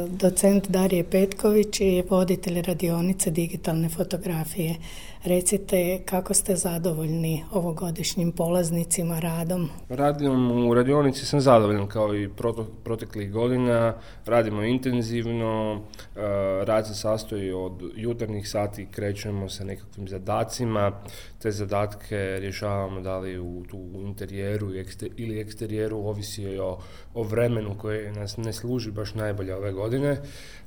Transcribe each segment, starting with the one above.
Docent Darije Petković je voditelj radionice digitalne fotografije. Recite kako ste zadovoljni ovogodišnjim polaznicima radom? U radionici sam zadovoljan kao i proteklih godina. Radimo intenzivno, rad se sastoji od jutarnjih sati, krećemo sa nekakvim zadacima. Te zadatke rješavamo da li u interijeru ili eksterijeru, ovisi o vremenu koje nas ne služi baš najbolje ove godine.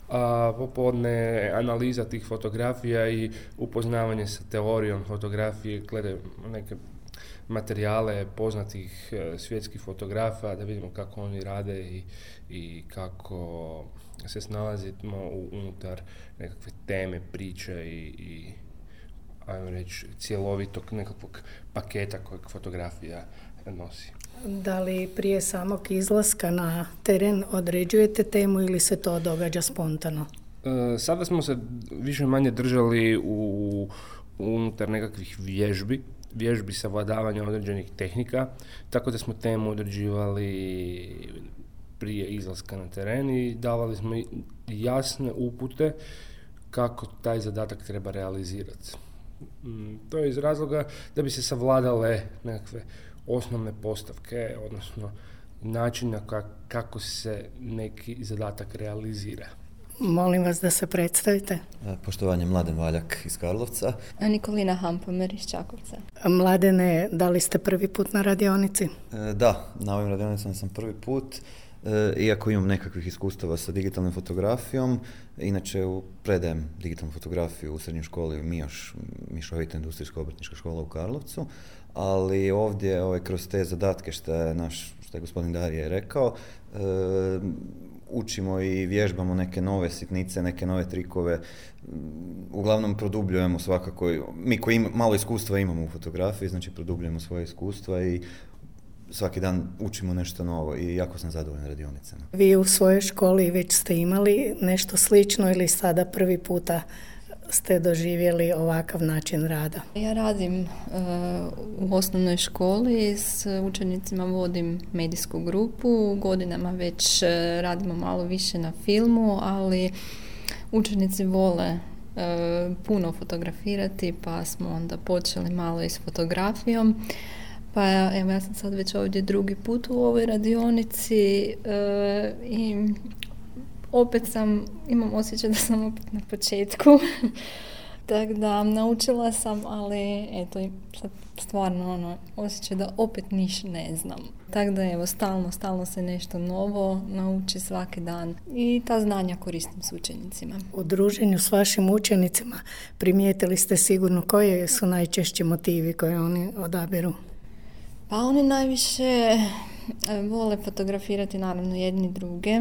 A popodne analiza tih fotografija i upoznavanje sa teorijom fotografije, glede neke materijale poznatih svjetskih fotografa, da vidimo kako oni rade i kako se snalazimo unutar nekakve teme, priče i ajmo reći cjelovitog nekakvog paketa kojeg fotografija nosi. Da li prije samog izlaska na teren određujete temu ili se to događa spontano? Sada smo se više manje držali unutar nekakvih vježbi savladavanja određenih tehnika, tako da smo temu određivali prije izlaska na teren i davali smo jasne upute kako taj zadatak treba realizirati. To je iz razloga da bi se savladale nekakve osnovne postavke, odnosno načina kako se neki zadatak realizira. Molim vas da se predstavite. Poštovanje, Mladen Valjak iz Karlovca. Nikolina Hampomer iz Čakovca. Mladene, da li ste prvi put na radionici? Da, na ovim radionicama sam prvi put. Iako imam nekakvih iskustava sa digitalnom fotografijom, inače predajem digitalnu fotografiju u srednjoj školi MIOŠ, Mišovita industrijska obrtnička škola u Karlovcu, ali ovdje kroz te zadatke što je gospodin Darije rekao, učimo i vježbamo neke nove sitnice, neke nove trikove, uglavnom produbljujemo svakako, mi koji malo iskustva imamo u fotografiji, znači produbljujemo svoje iskustva i svaki dan učimo nešto novo i jako sam zadovoljan radionicama. Vi u svojoj školi već ste imali nešto slično ili sada prvi puta ste doživjeli ovakav način rada? Ja radim u osnovnoj školi, s učenicima vodim medijsku grupu, godinama već radimo malo više na filmu, ali učenici vole puno fotografirati, pa smo onda počeli malo i s fotografijom. Pa evo, ja sam sad već ovdje drugi put u ovoj radionici i opet imam osjećaj da sam opet na početku. Tako da naučila sam, ali eto, sad stvarno osjećaj da opet ništa ne znam. Tako da evo, stalno se nešto novo nauči svaki dan i ta znanja koristim s učenicima. U druženju s vašim učenicima primijetili ste sigurno koje su najčešći motivi koje oni odabiru? Pa oni najviše vole fotografirati naravno jedni druge.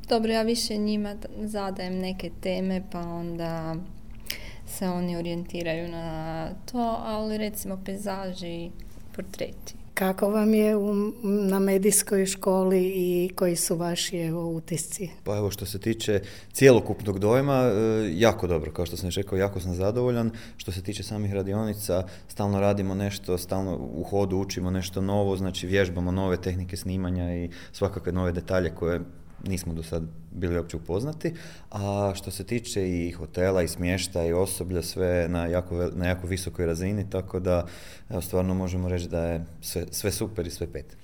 Dobro, ja više njima zadajem neke teme pa onda se oni orijentiraju na to, ali recimo pejzaži i portreti. Kako vam je na medijskoj školi i koji su vaši utisci? Pa evo, što se tiče cjelokupnog dojma, jako dobro, kao što sam rekao, jako sam zadovoljan. Što se tiče samih radionica, stalno radimo nešto, stalno u hodu učimo nešto novo, znači vježbamo nove tehnike snimanja i svakakve nove detalje koje nismo do sad bili uopće upoznati, a što se tiče i hotela i smještaja i osoblja, sve na jako visokoj razini, tako da evo, stvarno možemo reći da je sve super i sve pet.